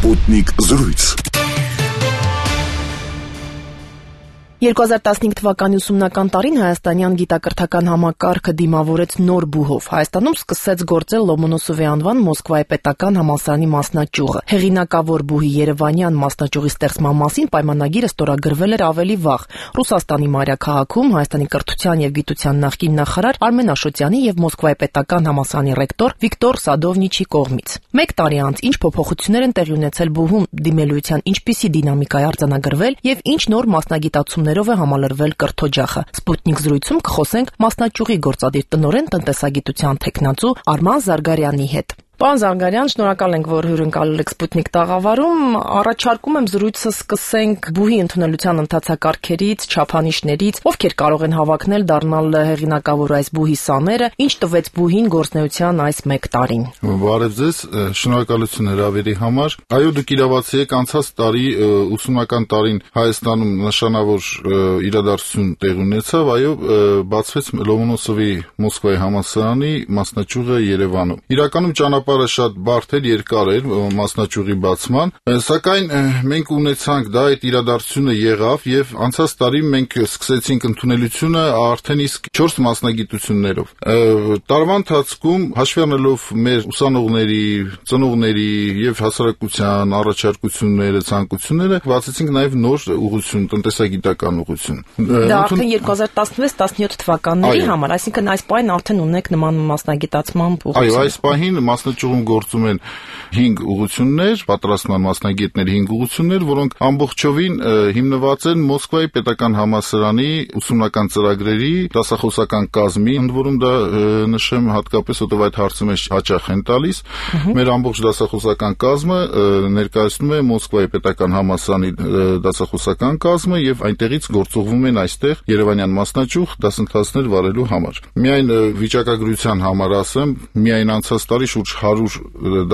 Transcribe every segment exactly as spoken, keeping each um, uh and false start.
Սպուտնիկ զրույց։ երկու հազար տասնհինգ թվականի ուսումնական տարին հայաստանյան գիտակրթական համակարգը դիմավորեց նոր բուհով։ Հայաստանում սկսեց գործել Լոմոնոսովի անվան Մոսկվայի պետական համալսարանի մասնաճյուղը։ Հեղինակավոր բուհի երևանյան մասնաճյուղի ստեղծման մասին պայմանագիրը ստորագրվել էր ավելի վաղ Ռուսաստանի մայրաքաղաքում Հայաստանի կրթության եւ գիտության նախկին նախարար Արմեն Աշոտյանի եւ Մոսկվայի պետական համալսարանի ռեկտոր Վիկտոր Սադովնիչի կողմից։ Մեկ տարի անց ինչ փոփոխություններ են տեղի ունեցել բուհում, դիմելույթյան ինչպիսի դինամիկա է արձանագրվել եւ ինչ նոր մասնագիտացումներով է համալրվել կրթօջախը։ Սպուտնիկ զրույցում կխոսենք մասնաճյուղի գործադիր տնօրեն տնտեսագիտության թեկնածու Արման Զարգարյանի հետ։ Պարոն Զարգարյան, շնորհակալ ենք, որ հյուրընկալել եք Սպուտնիկ տաղավարում։ Առաջարկում եմ զրույցը սկսենք բուհի ընդունելության ընթացակարգերից, չափանիշներից, ովքեր կարող են հավակնել դառնալ հեղինակավոր այս բուհի սաները, ինչ տվեց բուհին գործնեության այս մեկ տարին։ Բարև ձեզ, շնորհակալություն հրավերի համար։ Այո, դուք իրավացի եք, անցած տարի ուսումնական տարին Հայաստանում նշանավոր իրադարձություն տեղ ունեցավ, այո, բացվեց Լոմոնոսովի Մոսկվայի համալսարանի մասնաճյուղը Երևանում։ Իրականում ճանապարհը շատ բարդ էր, երկար էր մասնաճյուղի բացման, սակայն մենք ունեցանք դա այդ իրադարձությունը եղավ եւ անցած տարի մենք սկսեցինք ընդունելությունը արդեն իսկ չորս մասնագիտություններով։ Տարվա ընթացքում հաշվի առնելով մեր ուսանողների, ծնողների եւ հասարակության առաջարկությունները, ցանկությունները, բացեցինք նաեւ նոր ուղղություն, տնտեսագիտական ուղղություն։ Դա արդեն երկու հազար տասնվեց տասնյոթ թվականների համար, այսինքն այս պահին արդեն ունեք նման մասնագիտացման ուղղություն։ Այո, այս պահին մասնաճյուղում գործում են հինգ ուղղություններ, պատրաստման մասնագետների հինգ ուղղություններ, որոնք ամբողջովին հիմնված են Մոսկվայի պետական համալսարանի ուսումնական ծրագրերի դասախոսական կազմի, ընդ որում դա նշեմ հատկապես, որտեղ այդ հարցը մեզ հաճախ են տալիս։ Մեր ամբողջ դասախոսական կազմը ներկայացնում է Մոսկվայի պետական համալսարանի դասախոսական կազմը եւ այնտեղից գործողվում են այստեղ Երևանյան մասնաճյուղ դասընթացներ վարելու համար։ Միայն վիճակագրության համար ասեմ, միայն անցած տարի շուրջ հարյուր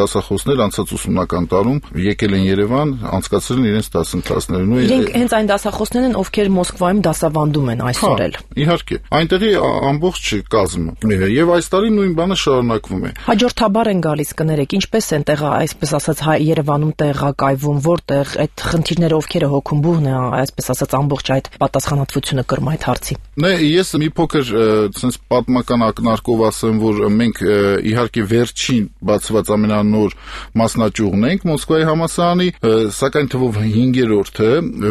դասախոսներ անցած ուսումնական տարում եկել են Երևան, անցկացրել են իրենց դասընթացները։ Իրենք հենց այն դասախոսներն են, ովքեր Մոսկվայում դասավանդում են այսօր էլ։ Իհարկե, այնտեղի ամբողջ կազմը եւ այս տարի նույն բանը շարունակվում է։ Հաջորդաբար են գալիս կներեք, ինչպես են տեղը, այսպես ասած, Երևանում տեղակայվում, որտեղ այդ խնդիրները ովքեր է հոգում բուհն է, այսպես ասած, ամբողջ այդ պատասխանատվությունը կրում այդ հարցի։ Նե, ես մի փոքր sense պատմական ակնարկով ասեմ, որ մենք իհարկե վերջին բացված ամենանոր մասնաճյուղն ենք Մոսկվայի համալսարանի, սակայն թվով հինգերորդը,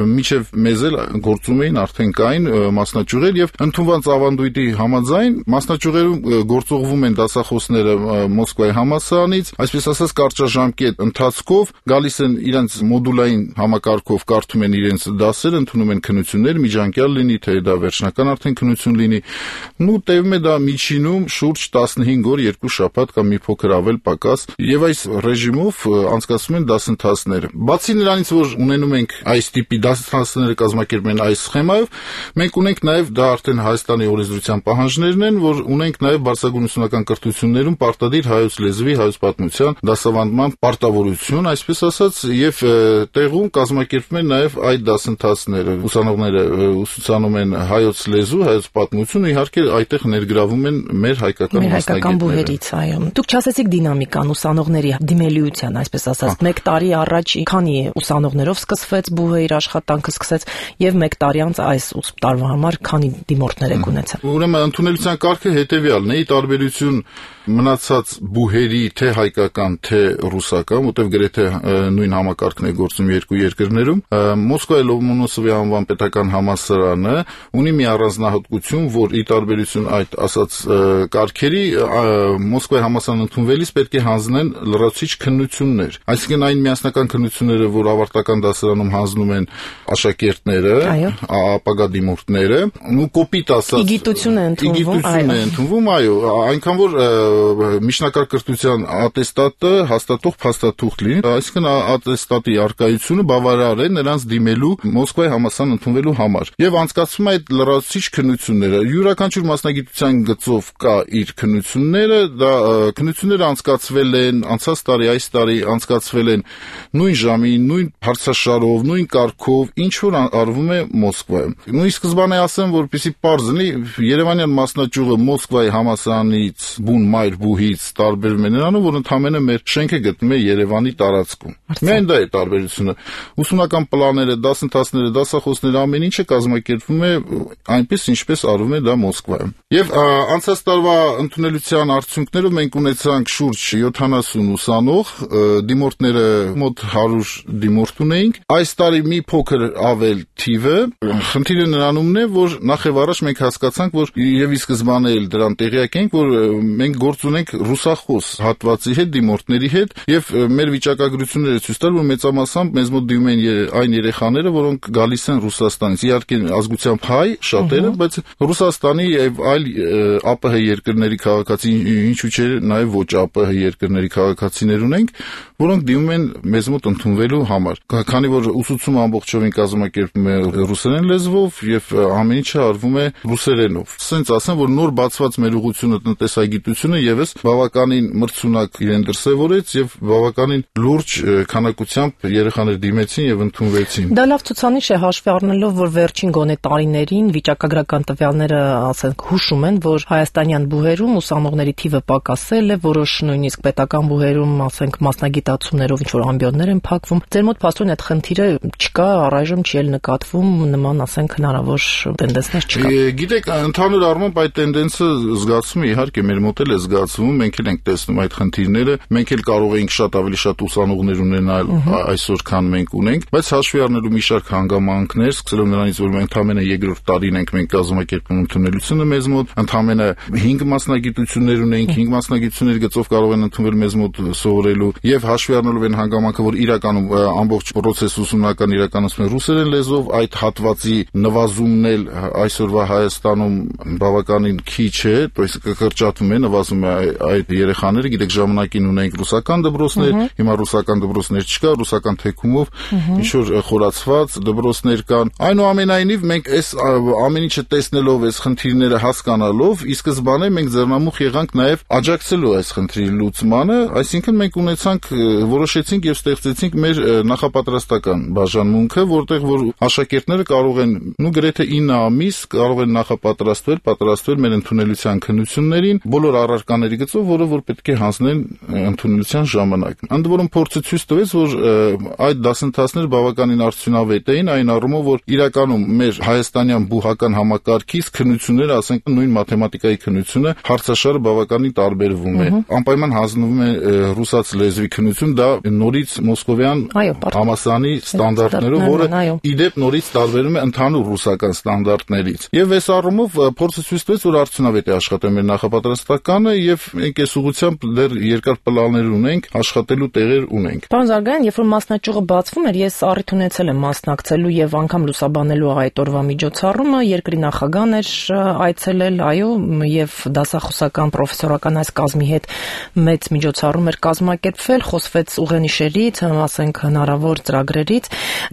մինչև մեզ էլ գործում էին արդեն կային մասնաճյուղեր եւ ընդունված ավանդույթի համաձայն մասնաճյուղերում գործողվում են դասախոսները Մոսկվայի համալսարանից, այսպես ասած կարճաժամկետ ընթացքով գալիս են իրենց մոդուլային համակարգով կարդում են իրենց դասերը, ընդունում են քննություններ, միջանկյալ լինի, թե դա վերջնական արդեն քննություն լինի։ Նու տևում է դա միջինում շուրջ տասնհինգ օր, երկու շաբաթ կամ մի փոքր ավել պակաս եւ այս ռեժիմով անցկացվում են դասընթացները։ Բացի նրանից, որ ունենում ենք այս տիպի դասընթացները կազմակերպում են այս սխեմայով, մենք ունենք նաեւ դա արդեն Հայաստանի օրենսդրության պահանջներն են, որ ունենք նաեւ բարձրագույն ուսումնական կրթություններում պարտադիր հայոց լեզվի, հայոց պատմության դասավանդման պարտավորություն, այսպես ասած, եւ տեղում կազմակերպվում են նաեւ այդ դասընթացները։ Ուսանողները ուսուցանում են հայոց լեզու, հայոց պատմություն, իհարկե այդտեղ ներգրավում են մեր հայկական մասնագետները։ Այո, դուք չասեցիք դինամիկան ուսանողների դիմելիության, այսպես ասած, մեկ տարի առաջ քանի ուսանողներով սկսվեց բուհը իր աշխատանքը սկսեց եւ մեկ տարի անց այս տարվա համար քանի դիմորդներ եք ունեցել։ Ուրեմն ընդունելության կարգը հետեւյալն է՝ ի տարբերություն մնացած բուհերի թե հայկական, թե ռուսական, որտեղ գրեթե նույն համակարգն է գործում երկու երկրներում, Մոսկվայի Լոմոնոսովի անվան պետական համալսարանը ունի մի առանձնահատկություն, որ ի տարբերություն այդ ասած կարգերի Մոսկվայի համալսարան ընդունվելիս պետք է հանձնեն լրացուցիչ քննություններ։ Այսինքն այն միասնական քննությունները, որ ավարտական դասարանում հանձնում են աշակերտները, ապագա դիմորդները, ու կոպիտ ասած գիտություն է ընդունվում, այո, ընդունվում, այո, այնքան որ միջնակարգ կրթության ատեստատը հաստատող փաստաթուղթ լինի, այսինքն ատեստատի արկայությունը բավարար է նրանց դիմելու Մոսկվայի համալսարան ընդունվելու համար։ Եվ անցկացվում է այդ լրացուցիչ քննությունները։ Յուրաքանչյուր մասնագիտության գծով կա իր քննությունները, դա քննությունները անցկացվել են անցած տարի, այս տարի անցկացվել են նույն ժամի, նույն հարցաշարով, նույն կարգով, ինչ որ արվում է Մոսկվայում։ Նույն սկզբանե ասեմ, որպեսզի պարզ լինի, Երևանյան մասնաճյուղը Մոսկվայի համալսարանից բուն մայր այլ բուհից տարբերում է նրանով, որ ընդհանրապես մեր շենքը գտնվում է Երևանի տարածքում։ Միայն դա է տարբերությունը։ Ուսումնական պլանները, դասընթացները, դասախոսները, ամեն ինչը կազմակերպվում է այնպես, ինչպես արվում է դա Մոսկվայում։ Եվ անցած տարվա ընդունելության արդյունքներով մենք ունեցանք շուրջ յոթանասուն ուսանող, դիմորդները մոտ հարյուր դիմորդ ունեինք։ Այս տարի մի փոքր ավել թիվը, խնդիրը նրանումն է, որ նախ եւ առաջ մենք հասկացանք, որ եւ ի սկզբանե էլ դրան տեղյակ ենք, որ մենք գործ ունենք ռուսախոս հատվածի հետ, դիմորդների հետ, եւ մեր վիճակագրությունները ցույց տալ, որ մեծամասամբ մեզ մոտ դիմում են այն երեխաները, որոնք գալիս են Ռուսաստանից։ Իհարկե ազգությամբ հայ շատերը, բայց Ռուսաստանի եւ այլ ԱՊՀ երկրների քաղաքացի, ինչու՞ չէ, նաեւ ոչ ԱՊՀ երկրների քաղաքացիներ ունենք, որոնք դիմում են մեզ մոտ ընդունվելու համար։ Քանի որ ուսուցումը ամբողջովին կազմակերպվում է ռուսերեն լեզվով եւ ամեն ինչը արվում է ռուսերենով։ Սենց ասեմ, որ նոր բացված մեր ուղղությունը տնտեսագիտությունը եւս բավականին մրցունակ իրեն դրսեւորեց եւ բավականին լուրջ քանակությամբ երեխաներ դիմեցին եւ ընդունվեցին։ Դա լավ ցուցանիշ է հաշվի առնելով, որ վերջին գոնե տարիներին վիճակագրական տվյալները, ասենք, հուշում են, որ հայաստանյան բուհերում ուսանողների թիվը պակասել է, որոշ նույնիսկ պետական բուհերում, ասենք, մասնագիտացումներով ինչ որ ամբիոններ են փակվում։ Ձեր մոտ փաստորեն այդ խնդիրը չկա, առայժմ չի էլ նկատվում նման, ասենք, հնարավոր տենդենսներ չկա։ Գիտեք, ընդհանուր առմամբ այդ տենդենսը զգացվում է, իհարկե մեր մոտ էլ է զգացվում, մենք էլ ենք տեսնում այդ խնդիրները, մենք էլ կարող ենք շատ ավելի շատ ուսանողներ ունենալ այսօր, քան մենք ունենք, բայց հաշվի առնելու մի շարք հանգամանքներ, սկսելով նրանից, որ մենք ընդամենը երկրորդ տարին ենք մենք կազմակերպում ընդունելությունը մեզ մոտ, ընդամենը հինգ մասնագիտություններ ունենք, հինգ մասնագիտությունների գծով կարող են ընդունվել մեզ մոտ սովորելու, եւ հաշվի առնելով այն հանգամանքը, որ իրականում ամբողջ process ուսումնական իրականացում է ռուսերեն լեզվով, այդ հատվածի նվազումն էլ այսօրվա Հայաստանում բավականին քիչ է, то есть կկրճատվում է, նվազում է այդ երեխաները, գիտեք, ժամանակին ունենք ռուսական դպրոցներ, հիմա ռուսական դպրոցներ չկա, ռուսական թեքումով ինչ որ խորացված դպրոցներ կան։ Այնուամենայնիվ մենք այս ամեն ինչը տեսնելով, այս խնդիրները հասկանալով, ի սկզբանե մենք ձեռնամուխ եղանք նաև աջակցելու այս խնդրի լուծմանը, այսինքն մենք ունեցանք, որոշեցինք եւ ստեղծեցինք մեր նախապատրաստական բաժանմունքը, որտեղ որ աշակերտները կարող են, նու գրեթե ինը ամիս կարող են նախապատրաստվել, պատրաստվել մեր ընդունելության քննություններին, բոլոր առարկաների գծով, որը որ պետք է հանձնեն ընդունելության ժամանակ։ Ընդ որում փորձը ցույց տվեց, որ այդ դասընթացները բավականին արդյունավետ էին, այն առումով, որ իրականում մեր հայաստանյան բուհական համակարգից քննությունները, ասենք նույն մաթեմատիկայի քննությունը, հարցաշարը բավականին տարբերվում է։ Անպայման հանձնվում է ռուսաց լեզվի քննություն, դա նորից մոսկովյան համալսարանի ստանդարտներով, որը իդեպ նորից տարբերում է ընդհանուր ռուսական ստանդարտներից։ Եվ այս առումով փորձը ցույց տվեց, որ արդյունավետ է աշխատել մեր նախապատրաստականը եւ մենք այս ուղղությամբ դեռ երկար պլաններ ունենք, աշխատելու տեղեր ունենք։ Պարոն Զարգարյան, երբ որ մասնաճյուղը բացվում էր, ես առիթ ունեցել եմ մասնակցելու եւ անգամ լուսաբանելու այդ օրվա միջոցառումը, երկրի նախագահն էր այցելել, այո, եւ դասախոսական պրոֆեսորական այս կազմի հետ մեծ միջոցառում էր կազմակերպվել, խոսվեց ուղենիշերից, ասենք հնարավոր ծրագրերից։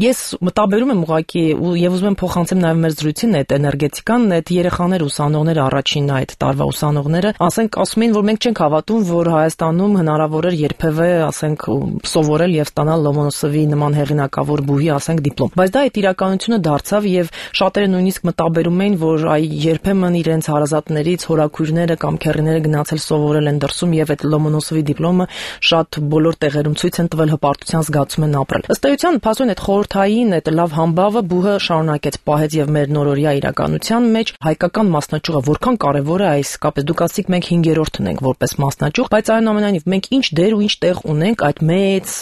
Ես մտաբերում եմ ուղղակի եւ ուզում եմ փոխանցեմ նաեւ մեր զրույցին այդ էներգետիկան, այդ երեխաներ, ուսանողները, առաջին այդ տարվա ուսանողները, ասենք ասում էին, որ մենք չենք հավատում, որ Հայաստանում հնարավոր էր երբևէ, ասենք, սովորել եւ ստանալ Լոմոնոսովի նման հեղինակավոր բուհի, ասենք, դիպլոմ։ Բայց դա այդ իրականությունը դարձավ եւ շատերը նույնիսկ մտաբերում էին, որ այ երբեմն իրենց հարազատներից հորաքույրները կամ քեռիները գնացել սովորել են դրսում եւ այդ Լոմոնոսովի դիպլոմը շատ բոլոր տեղերում ցույց են տվել, հպարտության զգացում են ապրել։ Ըստ էության, փաստորեն այդ խորհրդային, այդ լավ համբավը բուհը շարունակեց պահեց եւ մեր նորօրյա իրականության մեջ հայկական մասնաճյուղը որքան կարեւոր է այս կապից։ Դուք ասիք մենք հինգերորդն ենք որպես մասնաճյուղ, բայց այնուամենայնիվ մենք ինչ դեր ու ինչ տեղ ունենք այդ մեծ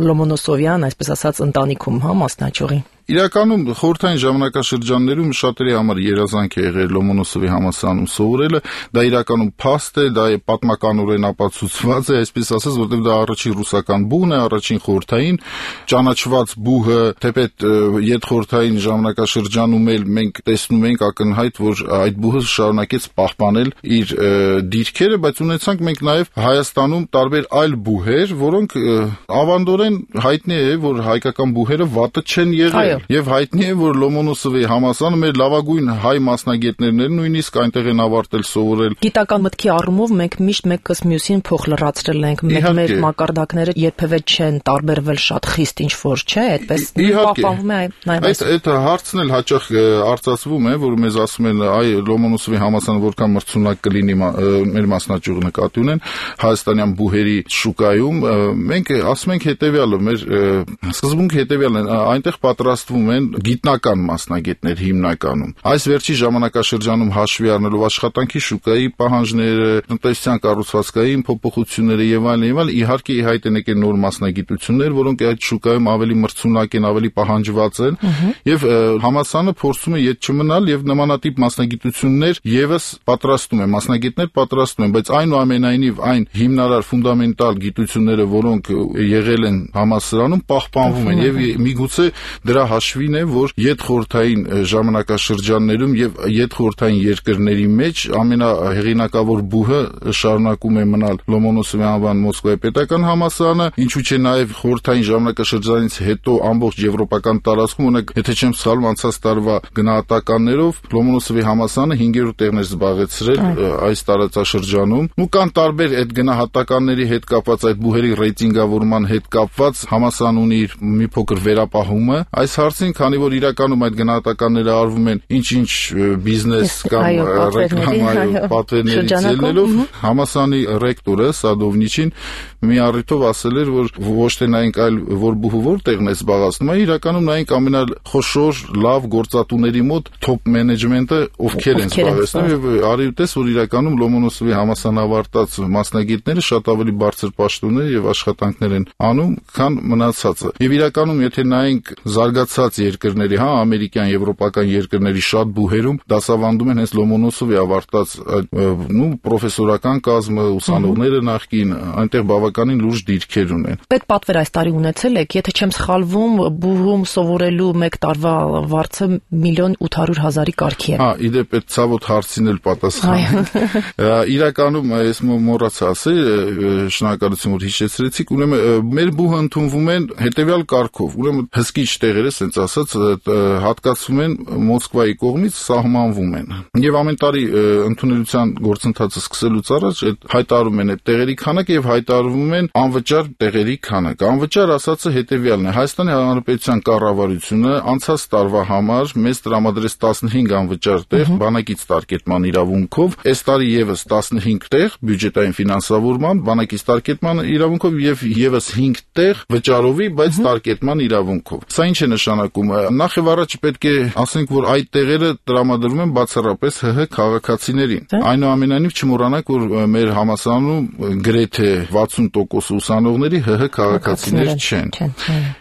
Լոմոնոսովյան, այսպես ասած, ընտանիքում, հա, մասնաճյուղի։ Իրականում խորհրդային ժամանակաշրջաններում շատերի համար երազանք է եղել Լոմոնոսովի համալսարանում սովորելը, դա իրականում փաստ է, դա է պատմականորեն ապացուցված է, այսպես ասած, որտեղ դա առաջին ռուսական բուհն է, առաջին խորհրդային ճանաչված բուհը, թեպետ յետխորհրդային ժամանակաշրջանում էլ մենք տեսնում ենք ակնհայտ, որ այդ բուհը շարունակեց պահպանել իր դիրքերը, բայց ունեցանք մենք նաև Հայաստանում տարբեր այլ բուհեր, որոնք ավանդորեն հայտնի է, որ հայկական բուհերը վատը չեն եղել։ Եվ հայտնի է, որ Լոմոնոսովի համալսարանը մեր լավագույն հայ մասնագետներն են, նույնիսկ այնտեղ են ավարտել սովորել։ Գիտական մտքի առումով մենք միշտ մեկս մյուսին փոխ լրացրել ենք, մեր մակարդակները երբևէ չեն տարբերվել շատ խիստ ինչ որ չէ, այդպես պահպանվում է նաև այս։ Այդ հարցն էլ հաճախ արծացվում է, որ մեզ ասում են, այ Լոմոնոսովի համալսարանը որքան մրցունակ կլինի մեր մասնաճյուղը նկատի ունեն հայաստանյան բուհերի շուկայում, մենք ասում ենք հետեւյալը, մեր սկզբունքը հետեւյալն է, այնտեղ պատրաստվում են գիտնական մասնագետներ հիմնականում։ Այս վերջի ժամանակաշրջանում հաշվի առնելով աշխատանքի շուկայի պահանջները, տնտեսության կառուցվածքային փոփոխությունները եւ այլն եւ այլն, իհարկե ի հայտ են եկել նոր մասնագիտություններ, որոնք այդ շուկայում ավելի մրցունակ են, ավելի պահանջված են, եւ համալսարանը փորձում է ետ չմնալ եւ նմանատիպ մասնագիտություններ եւս պատրաստում է, մասնագետներ պատրաստում են, բայց այնուամենայնիվ այն հիմնարար ֆունդամենտալ գիտությունները, որոնք եղել են համալսարանում, պահպանվում են եւ միգուցե դրա հաշվին է, որ յետխորհրդային ժամանակաշրջաններում եւ յետխորհրդային երկրների մեջ ամենահեղինակավոր բուհը շարունակում է մնալ Լոմոնոսովի անվան Մոսկվայի պետական համալսարանը, ինչու՞ չէ նաեւ խորհրդային ժամանակաշրջանից հետո ամբողջ եվրոպական տարածքում, օրինակ, եթե չեմ սխալվում, անցած տարվա գնահատականներով Լոմոնոսովի համալսարանը հինգերորդ տեղն էր զբաղեցրել այս տարածաշրջանում։ Ու կան տարբեր այդ գնահատականների հետ կապված, այդ բուհերի ռեյտինգավորման հետ կապված համալսարան ունի իր մի փոքր վերապահումը այս հարցին, քանի որ իրականում այդ գնահատականները արվում են ինչ-ինչ բիզնես կամ ռեկլամայի պատվերներից ելնելով, համալսարանի ռեկտորը Սադովնիչին մի առիթով ասել էր, որ ոչ թե նայենք, այլ որ բուհը որտեղն է զբաղացնում, այլ իրականում նայենք ամենախոշոր լավ գործատուների մոտ top management-ը ովքեր են զբաղեցնում, եւ արի ու տես, որ իրականում Լոմոնոսովի համալսարան ավարտած մասնագետները շատ ավելի բարձր պաշտոններ եւ աշխատանքներ են անում, քան մնացածը։ Եվ իրականում եթե նայենք զարգացած երկրների, հա, ամերիկյան, եվրոպական երկրների շատ բուհերում դասավանդում են հենց Լոմոնոսովի ավարտած նու պրոֆեսորական կազմը, ուսանողները նախկին, այնտեղ բավականին լուրջ դիրքեր ունեն։ Այդ պատվեր այս տարի ունեցել եք, եթե չեմ սխալվում, բուհում սովորելու մեկ տարվա վարձը միլիոն ութ հարյուր հազարի կարգի է։ Հա, իդեպ այդ ցավոտ հարցին էլ պատասխանենք։ Իրականում ես մոռացա ասել, շնորհակալություն որ հիշեցրեցիք, ուրեմն մեր բուհը ընդունվում են հետեւյալ կարգով, ուրեմն հսկիչ տեղերը, ասենց ասած, հատկացվում են Մոսկվայի կողմից, սահմանվում են։ Եվ ամեն տարի ընդունելության գործընթացը սկսելուց առաջ հայտարարում են այդ տեղերի քանակը եւ հայտարարվում են անվճար տեղերի քանակը։ Անվճար ասածը հետեւյալն է. Հայաստանի Հանրապետության կառավարությունը անցած տարվա համար մեզ տրամադրեց տասնհինգ անվճար տեղ բանակից տարկետման իրավունքով, այս տարի եւս տասնհինգ տեղ բյուջետային ֆինանսավորման, բանակից տարկետման իրավունքով եւ եւս հինգ տեղ վճարովի, բայց տարկետման իրավունքով։ Սա ինչ է նշանակում։ Նախ եւ առաջ պետք է ասենք, որ այդ տեղերը տրամադրվում են բացառապես ՀՀ քաղաքացիներին։ Այնուամենայնիվ չմոռանանք, որ մեր համալսարանում գրեթե վաթսուն տոկոս ուսանողների ՀՀ քաղաքացիներ չեն։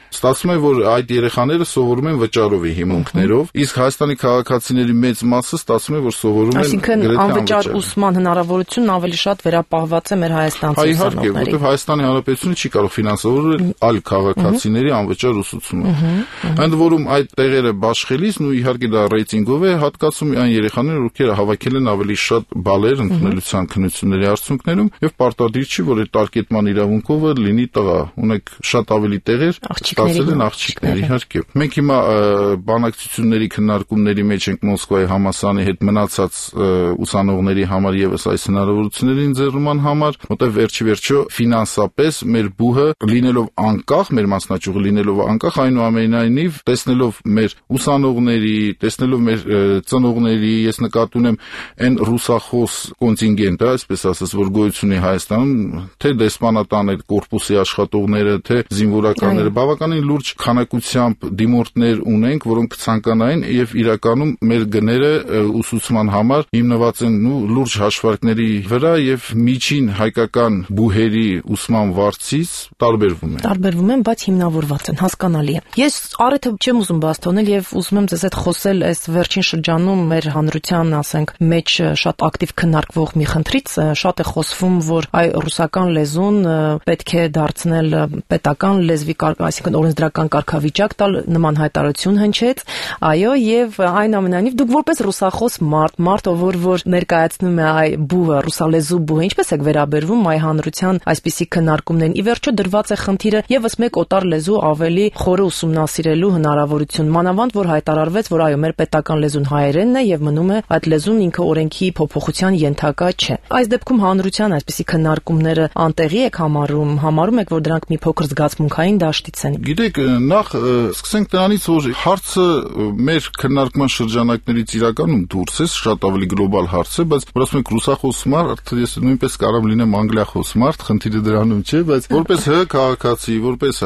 Ստացվում է, որ այդ երեխաները սովորում են վճարովի հիմունքներով, իսկ Հայաստանի քաղաքացիների մեծ մասը ստացվում է, որ սովորում են այսինքն անվճար ուսման հնարավորությունն ավելի շատ վերապահված է մեր հայաստանցի ուսանողների։ Իհարկե, որովհետև Հայաստանի Հանրապետությունը չի կարող ֆինանսավորել այլ քաղաքացիների անվճար ուսուցումը։ Ընդ որում այդ տեղերը բաշխելիս, ու իհարկե դա ռեյտինգով է հատկացում այն երեխաները, ովքեր հավաքել են ավելի շատ բալեր ընդունելության քննությունների արդյունքներում, եւ պարտադիր չի, որ այդ տարկետման իրավունքովը լինի տղա, ունեք շատ ավելի տեղեր ստացել են աղջիկներ, իհարկե։ Մենք հիմա բանակցությունների քննարկումների մեջ ենք Մոսկվայի համալսարանի հետ մնացած ուսանողների համար եւս այս հնարավորությունների ընձեռման համար, որտեղ վերջի վերջո ֆինանսապես մեր բուհը լինելով անկախ, մեր մասնաճյուղը լինելով անկախ, այնուամենայնիվ տեսնելով մեր ուսանողների, տեսնելով մեր ծնողների, ես նկատի ունեմ այն ռուսախոս կոնտինգենտը, այսպես ասած, որ գոյություն ունի Հայաստանում, թե դեսպանատան այդ կորպուսի աշխատողները, թե զինվորականները, բավականին լուրջ քանակությամբ դիմորդներ ունենք, որոնք ցանկանային եւ իրականում մեր գները ուսուցման համար հիմնված են ու լուրջ հաշվարկների վրա եւ միջին հայկական բուհերի ուսման վարձից տարբերվում են։ Տարբերվում են, բայց հիմնավորված են, հասկանալի է։ Ես առիթը չեմ ուզում բաց թողնել եւ ուզում եմ ձեզ հետ խոսել այս վերջին շրջանում մեր հանրության, ասենք, մեջ շատ ակտիվ քննարկվող մի խնդրից, շատ է խոսվում, որ այ ռուսական լեզուն պետք է դարձնել պետական լեզվի, այսինքն օրենսդրական կարգավիճակ տալ, նման հայտարարություն հնչեց, այո, եւ այնուամենայնիվ դուք որպես ռուսախոս մարդ, մարդ, ով որ ներկայացնում է այ բուհը, ռուսալեզու բուհը, ինչպես եք վերաբերվում այ հանրության այսպիսի քննարկումներին։ Ի վերջո դրված է խնդիրը եւս մեկ օտար լեզու ավելի խորը ուսումնասիրելու հնարավորություն, մանավանդ որ հայտարարվեց, որ այո, մեր պետական լեզուն հայերենն է եւ մնում է այդ լեզուն ինքը օրենքի փոփոխության ենթակա չէ։ Այս դեպքում հանրության այսպիսի քննարկումները անտեղի եք համարում, համարում եք, որ դրանք մի փոքր զգացմունքային դաշտից են։ Գիտեք, նախ սկսենք դրանից, որ հարցը մեր քննարկման շրջանակներից իրականում դուրս է, շատ ավելի գլոբալ հարց է, բայց որ ասում եք ռուսախոս մարդ, ես նույնպես կարող լինեմ անգլիախոս մարդ, խնդիրը դրանում չէ, բայց որպես ՀՀ քաղաքացի, որպես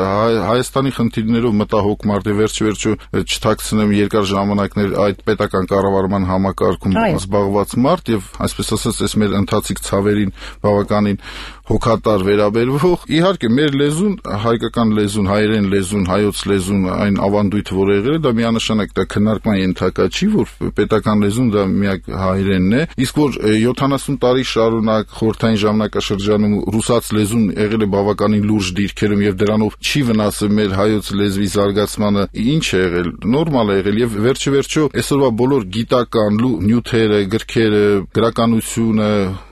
Հայաստանի խնդիրներով մտահոգ մարդ է, վերջ-վերջո չթաքցնեմ երկար ժամանակներ այդ պետական կառավարման համակարգում զբաղված մարդ եւ այսպես ասած, այս մեր ընթացիկ ցավերին բավականին հոգատար վերաբերվող։ Իհարկե, մեր լեզուն, հայկական լեզուն, հայերեն լեզուն, հայոց լեզուն, այն ավանդույթը, որ եղել է, դա միանշանակ դա քննարկման ենթակա չի, որ պետական լեզուն դա միակ հայերենն է, իսկ որ յոթանասուն տարի շարունակ խորհրդային ժամանակաշրջանում ռուսաց լեզուն եղել է բավականին լուրջ դիրքերում եւ դրանով չի վնասել մեր հայոց լեզվի զարգացմանը, ինչ է եղել, նորմալ է եղել եւ վերջ-վերջո այսօրվա բոլոր գիտական նյութերը, գրքերը, գրականությունը,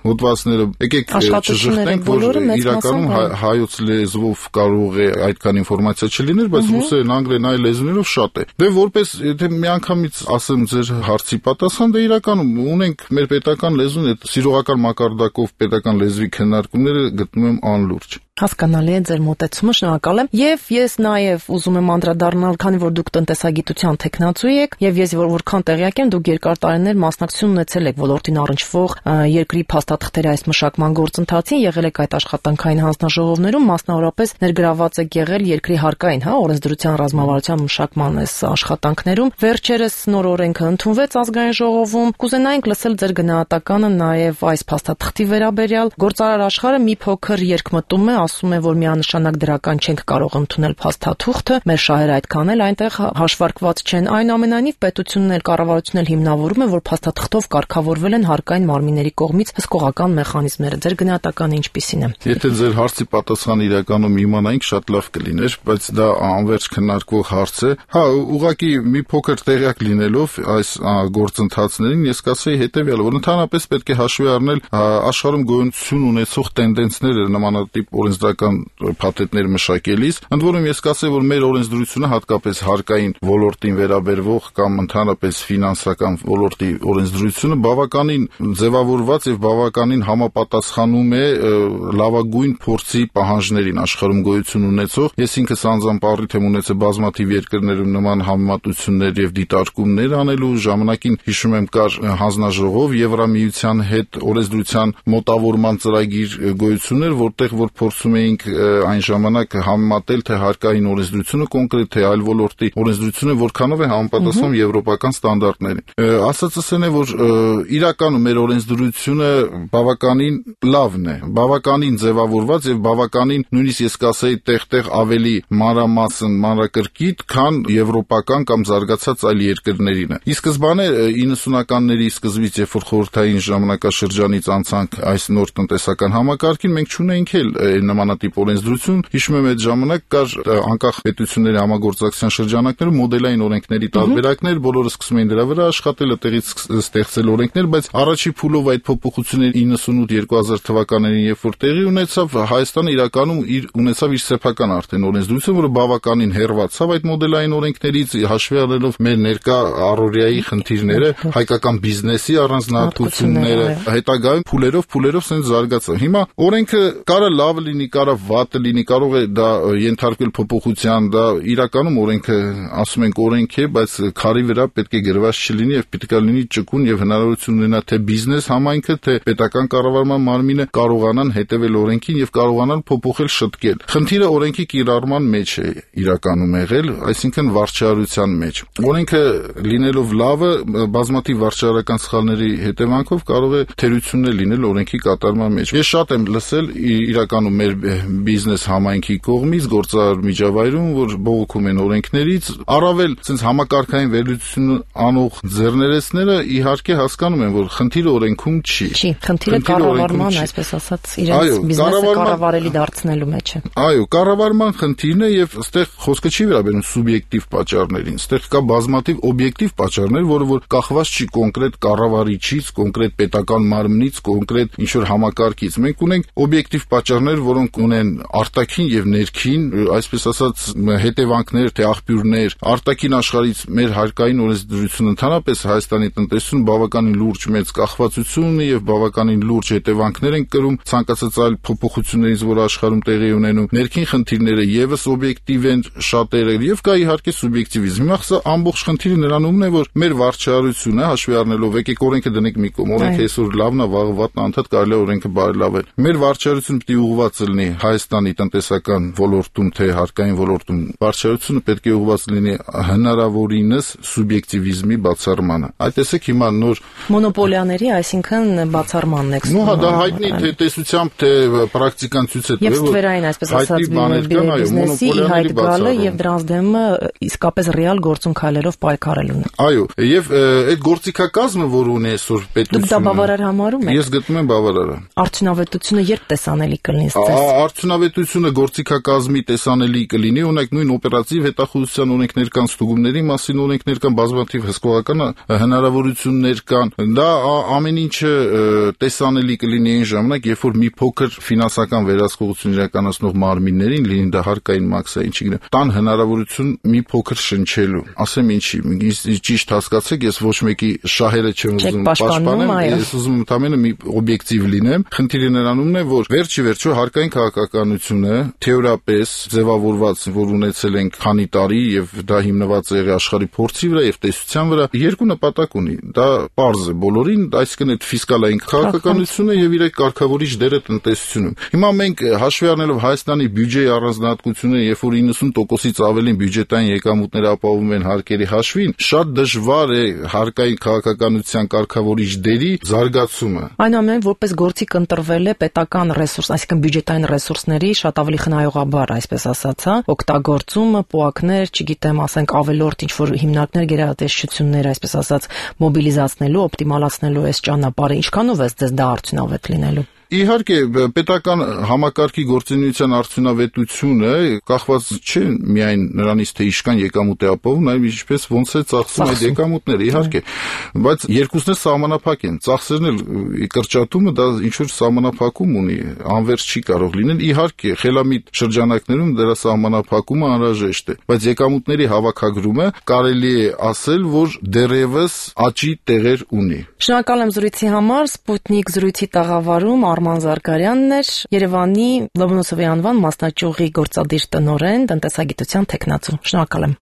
հոդվածները, եկեք չժխտենք, որ իրականում հայոց լեզվով կարող է այդքան ինֆորմացիա չլիներ, բայց ռուսերեն, անգլերեն, այլ լեզուներով շատ է։ Դե որպես եթե միանգամից ասեմ ձեր հարցի պատասխան, դե իրականում ունենք մեր պետական լեզուն, այդ սիրողական մակարդակով պետական լեզվի քննարկումները գտնում եմ անլուրջ։ Հասկանալի է ձեր մոտեցումը, շնորհակալ եմ։ Եվ ես նաև ուզում եմ անդրադառնալ, քանի որ դուք տնտեսագիտության թեկնածու եք, եւ ես որ որքան տեղյակ եմ, դուք երկար տարիներ մասնակցություն ունեցել եք ոլորտին առնչվող երկրի փաստաթղթերի այս մշակման գործընթացին, եղել եք այդ աշխատանքային հանձնաժողովներում, մասնավորապես ներգրաված եք եղել երկրի հարկային, հա, օրենսդրության ռազմավարության մշակման այս աշխատանքներում։ Վերջերս նոր օրենքը ընդունվեց ազգային ժողովում։ Կուզենայինք լսել ձեր գնահատականը նաև այս փաստաթղթի վերաբերյալ։ Գործարար աշխարհը մի փոքր երկմտում է, ասում է, որ միանշանակ դրական չենք կարող ընդունել փաստաթուղթը, մեր շահերը այդքան էլ այնտեղ հաշվարկված չեն։ Այնուամենայնիվ պետությունն էլ կառավարությունն էլ հիմնավորում է, որ փաստաթղթով կարգավորվել են հարկային մարմինների կողմից հսկողական մեխանիզմները։ Ձեր գնահատականը ինչպիսին է։ Եթե ձեր հարցի պատասխանը իրականում իմանայինք, շատ լավ կլիներ, բայց դա անverջ քննարկվող հարց է։ Հա, ուղղակի մի փոքր տեղյակ լինելով այս գործընթացներին, ես կասեի հետեւյալը, որ ընդհանրապես պետք է հաշվի առնել աշխարհում գոյություն ունեցող տենդենսները նմանատիպ օրենսդրական փաթեթներ մշակելիս, ընդ որում ես կասեի, որ մեր օրենսդրությունը հատկապես հարկային ոլորտին վերաբերվող կամ ընդհանրապես ֆինանսական ոլորտի օրենսդրությունը բավականին ձևավորված եւ բավականին համապատասխանում է լավագույն փորձի պահանջներին աշխարհում գոյություն ունեցող։ Ես ինքս անձամբ առիթ եմ ունեցել բազմաթիվ երկրներում նման համեմատություններ եւ դիտարկումներ անելու ժամանակին, հիշում եմ, կար հանձնաժողով Եվրամիության հետ օրենսդրության մոտավորման ծրագիր գոյություններ, որտեղ որ փորձում էինք այն ժամանակ համեմատել թե հարկային օրենսդրությունը կոնկրետ թե այլ ոլորտի օրենսդրությունը որքանով է համապատասխանում եվրոպական ստանդարտներին։ Ասածս այն է, որ իրականում մեր օրենսդրությունը բավականին լավն է, բավականին ձևավորված եւ բավականին նույնիսկ ես կասեի տեղ-տեղ ավելի մանրամասն, մանրակրկիտ, քան եվրոպական կամ զարգացած այլ երկրներինը։ Ի սկզբանե իննսունականների սկզբից, երբ որ խորհրդային ժամանակաշրջանից անցանք այս նոր տնտեսական համակարգին, մենք չունեինք էլ նմանատիպ օրենսդրություն։ Հիշում եմ, այդ ժամանակ կար անկախ պետությունների համագործակցության շրջանակներում մոդելային օրենքների տարբերակներ, բոլորը սկսում էին դրա վրա աշխատել, այդտեղից ստեղծել օրենքներ, բայց առաջի փուլով այդ փոփոխությունները իննսունութ երկու հազար թվականներին, երբ որ տեղի ունեցավ, Հայաստանը իրականում իր ունեցավ իր սեփական արդեն օրենսդրություն, որը բավականին հեռացավ այդ մոդելային օրենքներից, հաշվի առնելով մեր ներկա առօրյայի խնդիրները, հայկական բիզնեսի առանձնահատկությունները, հետագայում փուլերով փուլերով սենց զարգացավ։ Հիմա օրենքը կարա լավ լինի, կարա վատը լինի, կարող է դա ենթարկվել փոփոխության, դա իրականում օրենքը, ասում ենք օրենք է, բայց քարի վրա պետք է գրված չլինի եւ պետք է լինի ճկուն եւ հնարավորություն ունենա թե բիզնես համայնքը, թե պետական կառավարման մարմինը կարողանան հետևել օրենքին եւ կարողանան փոփոխել, շտկել։ Խնդիրը օրենքի կիրառման մեջ է իրականում եղել, այսինքն վարչարության մեջ։ Օրենքը լինելով լավը, բազմաթիվ վարչարական սխալների հետևանքով կարող է թերություններ լինել օրենքի կատարման մեջ։ Ես շատ եմ լսել իրականում մեր բիզնես համայնքի կողմից գործարար միջավայրում, որ բողոքում են օրենքներից, առավել ցենց համակարգային վերլուծություն անող ձեռներեցները իհարկե հասկանում են, որ խնդիրը օրենքում չի։ Չի, խնդիրը կառավարման, այսպես ասած, իրենց բիզնեսը կառավարելի դարձնելու մեջ է։ Այո, կառավարման խնդիրն է եւ այստեղ խոսքը չի վերաբերում սուբյեկտիվ պատճառներին, այստեղ կա բազմաթիվ օբյեկտիվ պատճառներ, որը որ կախված չի կոնկրետ կառավարիչից, կոնկրետ պետական մարմնից, կոնկրետ ինչ որ համակարգից։ Մենք ունենք օբյեկտիվ պատճառներ, որոնք ունեն արտաքին եւ ներքին, այսպես ասած, հետևանքներ, թե աղբյուրներ, արտաքին աշխարհից մեր հարկային օրենսդրությունը ընդհանրապես Հայաստանի տնտեսություն բավականին լուրջ մեծ կախվածություն ունի եւ բավականին լուրջ հետևանքներ են կրում ցանկացած այլ փոփոխություններից, որ աշխարհում տեղի ունենում։ Ներքին խնդիրները եւս օբյեկտիվ են շատերը եւ կա իհարկե սուբյեկտիվիզմ։ Հիմա սա ամբողջ խնդիրը նրանումն է, որ մեր վարչարությունը հաշվի առնելով եկեք օրենքը դնենք մի կողմ, օրենքը այսօր լավն է, վաղը վատն է, անդադ կարելի է օրենքը բարելավել։ Մեր վարչարությունը պետք է ուղղված լինի Հայաստանի տնտեսական ոլորտում, թե հարկային ոլորտում։ Վարչարությունը պետք է ուղղված լինի հնարավորինս սուբյեկտիվիզմի բացառմանը։ Այդ տեսեք հիմա նոր մոնոպոլիաների, այսինքն բացառմանն եք։ Ну, դա հայտնի թե տեսությամբ, թե պրակտիկան ցույց է տվել, որ ստվերային, այսպես ասած, բիզնեսի հայտ գալը եւ դրանց դեմ իսկապես ռեալ գործուն քայլերով պայքարելուն։ Այո, եւ այդ գործիքակազմը, որ ունի այսօր պետությունը։ Դուք դա բավարար համարում եք։ Ես գտնում եմ բավարարը։ Արդյունավետությունը երբ տեսանելի կլինի ստես։ Արդյունավետությունը գործիքակազմի տեսանելի կլինի, ունեք նույն օպերատիվ հետախուզության օրենքներ կան, ստուգումների մասին օրենքներ կան, բազմաթիվ հսկողական հնարավորություններ կան։ Դա ամեն ինչը տեսանելի կլինի այն ժամանակ, երբ որ մի փոքր ֆինանսական վերահսկողություն իրականացնող մարմիններին, լինի դա հարկային մաքսա, ինչի գնա, տան հնարավորություն մի փոքր շնչելու։ Ասեմ ինչի, ճիշտ հասկացեք, ես ոչ մեկի շահերը չեմ ուզում պաշտպանեմ, ես ուզում եմ ընդամենը մի օբյեկտիվ լինեմ։ Խնդիրը նրանումն է, որ վերջի վերջո հարկային քաղաքականությունը թեորիապես ձևավորված, որ ունեցել ենք քանի տարի եւ դա հիմնված է աշխարհի փորձի վրա եւ տեսության վրա, երկու նպատակ ունի։ Դա պարզ է բոլորին, այսինքն այդ ֆիսկալային քաղաքականությունը եւ իր կարգավորիչ դերը տնտեսությունում։ Հիմա մենք հաշվի առնելով Հայաստանի բյուջեի առանձնահատկությունը, երբ որ իննսուն տոկոսից ավելին բյուջետային եկամուտները ապահովում են հարկերի հաշվին, շատ դժվար է հարկային քաղաքականության կարգավորիչ դերի զարգացումը։ Այնուամենայնիվ, որպես գործիք ընտրվել է պետական ռեսուրս, այսինքն բյուջետային ռեսուրսների շատ ավելի խնայողաբար, այսպես ասած, հա, օգտագործումը, պոակներ, չգիտեմ, ասենք ավելորդ ինչ որ հիմնարկներ, գերատեսչություններ, այսպես ասած, մոբիլիզացնելու, օպտիմալացնելու այս ճանապարհը, ինչքանով է ձեզ դա արդյունավետ լինելու։ Իհարկե, պետական համակարգի գործունեության արդյունավետությունը կախված չէ միայն նրանից, թե ինչքան եկամուտ է ապահովում, այլ ինչպես ոնց է ծախսում այդ եկամուտները, իհարկե, բայց երկուսն էլ սահմանափակ են։ Ծախսերն էլ կրճատումը դա ինչ որ սահմանափակում ունի, անվերջ չի կարող լինել։ Իհարկե, խելամիտ շրջանակներում դրա սահմանափակումը անհրաժեշտ է, բայց եկամուտների հավաքագրումը կարելի է ասել, որ դեռևս աճի տեղեր ունի։ Շնորհակալ եմ զրույցի համար, Սպուտնիկ զրույցի տաղավարում Արման Զարգարյանն էր, Երևանի Լոմոնոսովի անվան մասնաճյուղի գործադիր տնօրեն, տնտեսագիտության թեկնածու։ Շնորհակալ եմ։